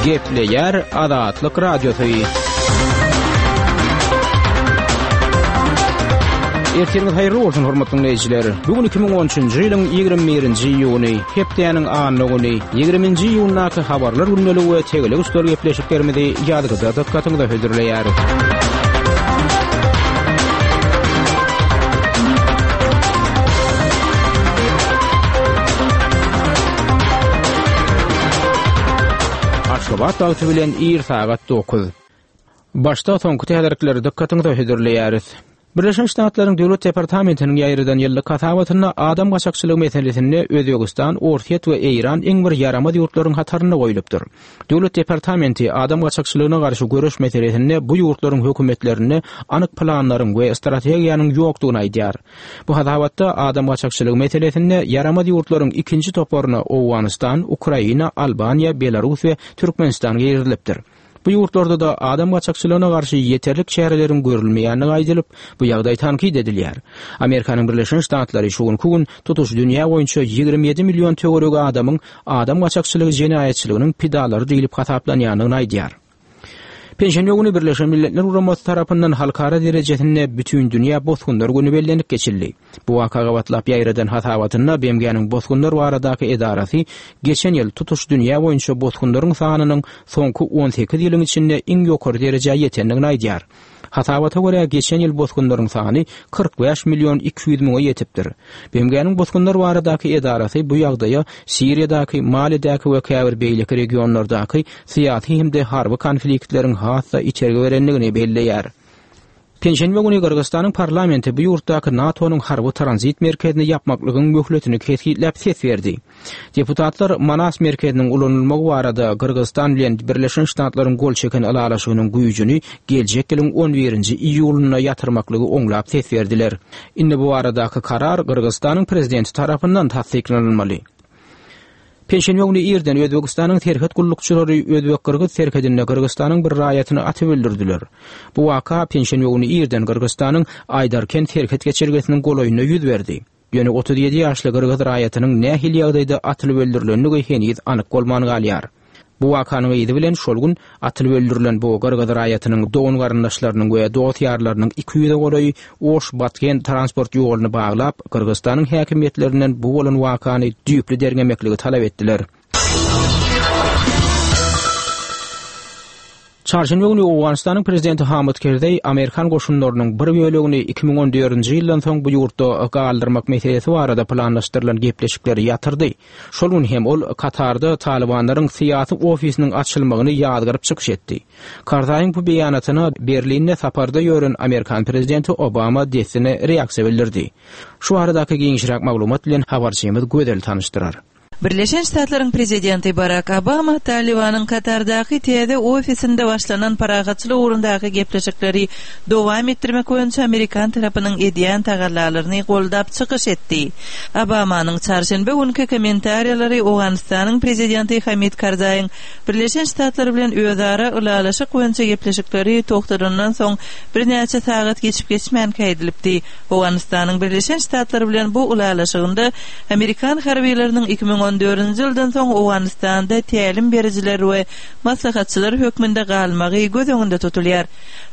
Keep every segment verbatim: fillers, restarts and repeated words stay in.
Gepleýär Azatlyk Radiosy. Ertiriňiz haýyrly bolsun, hormatly dinleýjiler. Bu gün iki müň on üçünji ýylyň ýigrimi birinji iýuny, hepdäniň anna güni, ýigriminji iýundaky habarlar gündeligi we tegelek üstel gepleşiklerimizi ýazgyda dykgatyňyza hödürleýäris. Aşgabat wagty bilen ir sagat dokuz. Başda soňky täzelikleri dykgatyňyza hödürleýäris. Birleşen Ştatlaryň Döwlet departamentiniň ýaýradan ýyllyk hasabatynda adam gaçakçylygy meselesinde Özbegistan, Orsýet we Eýran iň bir ýaramaz ýurtlaryň hatarynda goýlupdyr. Döwlet departamenti adam gaçakçylygyna garşy göreş meselesinde bu ýurtlaryň hökümetlerinde anyk planlaryň we strategiýanyň ýokdugyny aýdýar. Bu hasabatda adam gaçakçylygy meselesinde ýaramaz ýurtlaryň ikinji toparyna Owganystan, Ukraina, Albaniýa, Belarus we Türkmenistan girizilipdir. Bu ýurtlarda da adam gaçakçylygyna garşy ýeterlik çäreleriň görülmeýändigi aýdylyp, bu ýagdaý tankyt edilýär. Amerikanyň Birleşen Ştatlary şu günki gün tutuş dünýä boýunça ýigrimi ýedi million töweregi adamyň adam gaçakçylygy jenaýatçylygynyň pidalary diýlip hasaplanýandygyny aýdýar. Penşenbe güni Birleşen Milletler Guramasy tarapyndan halkara derejesinde bütün dünýä bosgunlar güni bellenip geçildi. Bu waka gabatlap ýaýradan hasabatynda B M G-niň bosgunlar baradaky edarasy geçen ýyl tutuş dünýä boýunça bosgunlaryň sanynyň soňky on sekiz ýylyň içinde iň ýokary derejä ýetendigini aýdýar. Hasabata görä geçen ýyl bosgunlaryň sany kyrk bäş million iki ýüz müňe ýetipdir. B M G-niň bosgunlar baradaky edarasy bu ýagdaýa Siriýadaky, Malidäki we käbir beýleki regionlardaky syýasy hem-de harby konfliktleriň has-da içergi berendigini belleýär. Penşenbe güni Gyrgyzystanyň parlamenti bu ýurtdaky NATO-nyň harby tranzit merkezini ýapmaklygyň möhletini kesgitläp ses berdi. Deputatlar Manas merkeziniň ulanylmagy barada Gyrgyzystan bilen Birleşen Ştatlaryň gol çeken ylalaşygynyň güýjüni geljek ýylyň on birinji iýulynda ýatyrmaklygy oňlap ses berdiler. Indi bu baradaky karar Gyrgyzystanyň prezidenti tarapyndan tassyklanylmaly. Penşenbe güni irden Özbekistanyň serhet gullukçylary Özbek-Gyrgyz serhedinde Gyrgyzystanyň bir raýatyny atyp öldürdüler. Bu waka penşenbe güni irden Gyrgyzystanyň Aýdarkent serhet geçelgesiniň golaýynda ýüz berdi. Ýöne otuz ýedi ýaşly Gyrgyz raýatynyň nähili ýagdaýda atylyp öldürilendigi heniz anyk bolman galýar. Bu wakanyň yzy bilen şol gün atylyp öldürilen bu Gyrgyz raýatynyň dogan garyndaşlarynyň we dost ýarlarynyň iki ýüze golaýy Oş-Batken transport ýoluny baglap, Gyrgyzystanyň häkimiýetlerinden bu bolan wakany düýpli derňemekligi talap etdiler. Çarşenbe güni Owganystanyň prezidenti Hamid Kerzeý Amerikan goşunlarynyň bir bölegini iki müň on dördünji ýyldan soň bu ýurtda galdyrmak meselesi barada planlaşdyrylan gepleşikleri ýatyrdy. Şol gün hem ol Katarda Talibanlaryň syýasy ofisiniň açylmagyny ýazgyryp çykyş etdi. Karzaýyň bu beýanatyna Berlinde saparda ýören Amerikan prezidenti Obama dessine reaksiýa bildirdi. Şu baradaky giňişräk maglumat bilen habarçymyz Gözel tanyşdyrar. Birleşen Ştatlaryň prezidenti Barack Obama Talibanyň Katardaky täze ofisinde başlanan parahatçylyk ugrundaky gepleşikleri dowam etdirmek boýunça Amerikan tarapynyň edýän tagallalaryny goldap çykyş etdi. Obamanyň çarşenbe günki kommentariýalary Owganystanyň prezidenti Hamid Karzaýyň Birleşen Ştatlar bilen özara ylalaşyk boýunça gepleşikleri togtadandan soň birnäçe sagat geçip geçmänkä edilipdi. Owganystanyň Birleşen Ştatlar bilen bu ylalaşygynda Amerikan harbiýlarynyň iki müň on dördünji ýyldan soň Owganystanda tälim berijiler we maslahatçylar hökmünde galmagy göz öňünde tutulýar.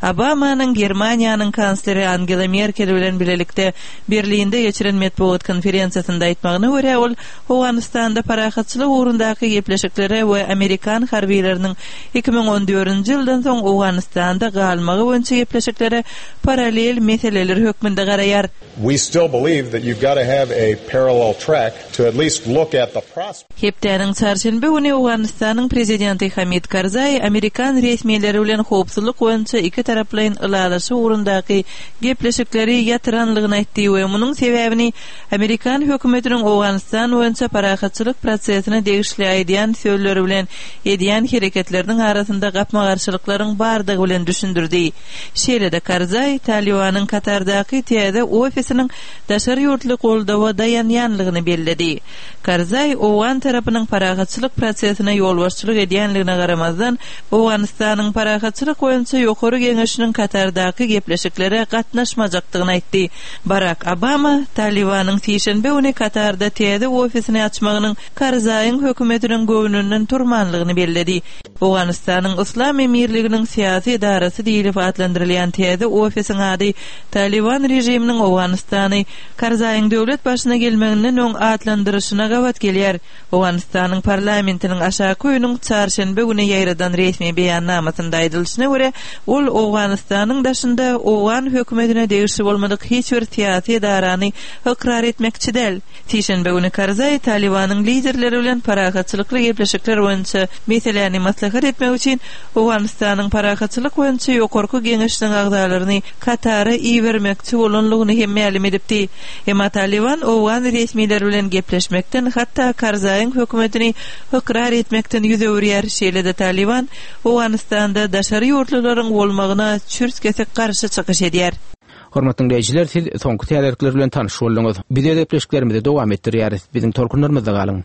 Obamanyň Germaniýanyň kansleri Angela Merkel bilen bilelikde Berlinde geçiren metbugat konferensiýasynda aýtmagyna görä ol Owganystanda parahatçylyk ugrundaky gepleşiklere we Amerikan harbiýlarynyň iki müň on dördünji ýyldan soň Owganystanda galmagy boýunça gepleşiklere paralel meseleler hökmünde garaýar. We still believe that you've got to have a parallel track to at least look at the prospect. Hepdäniň çarşenbe güni Owganystanyň prezidenti Hamid Karzaý Amerikan resmileri bilen howpsuzlyk boýunça iki taraplaýyn ylalaşyk ugrundaky gepleşikleri ýatyranlygyny aýtdy we munuň sebäbini Amerikan hökümetiniň Owganystan boýunça parahatçylyk prosesine degişli aýdýan sözleri bilen edýän hereketleriniň arasynda gapma-garşylyklaryň bardygy bilen düşündirdi. Şeýle-de Karzaý Talibanyň Katardaky täze ofisiniň daşary ýurtly goldawa daýanýanlygyny belledi. Karzaý Karzaý owgan tarapynyň parahatçylyk prosesine ýolbaşçylyk edýänligine garamazdan, Owganystanyň Parahatçylyk boýunça Ýokary Geňeşiniň Katardaky gepleşiklere gatnaşmajakdygyny aýtdy. Barak Obama Talybanyň sişenbe güni Katarda täze ofisini açmagynyň Karzaýyň hökümetiniň göwnünden turmanlygyny belledi. Owganystanyň Yslam Emirliginiň syýasy edarasy diýlip atlandyrylýan täze ofisiň ady Talyban režiminiň Owganystany Karzaýyň döwlet başyna gelmeginden öň atlandyryşyna gabat gelýär. Owganystanyň parlamentiniň aşaky öýüniň çarşenbe güni ýaýradan resmi beýannamasynda aýdylyşyna görä, ol Owganystanyň daşynda owgan hökümetine degişli bolmadyk hiç bir syýasy edarany ykrar etmekçi däl. Sişenbe güni Karzaý Talybanyň liderleri bilen parahatçylykly gepleşikler boýunça meseläni maslahat etmek üçin Owganystanyň Parahatçylyk boýunça Ýokarky Geňeşiniň agzalaryny Katara ibermekçi bolanlygyny hem mälim edipdi. Emma Talyban owgan resmileri bilen gepleşmekden, hatda Karzaýyň hökümetini ykrar etmekden ýüz öwürýär. Şeýle-de Talyban Owganystanda daşary ýurtlularyň bolmagyna çürt-kesik garşy çykyş edýär. Hormatly diňleýjiler, siz soňky täzelikler bilen tanyş bolduňyz. Biz öz gepleşiklerimizi dowam etdirýäris. Biziň tolkunlarymyzda galyň.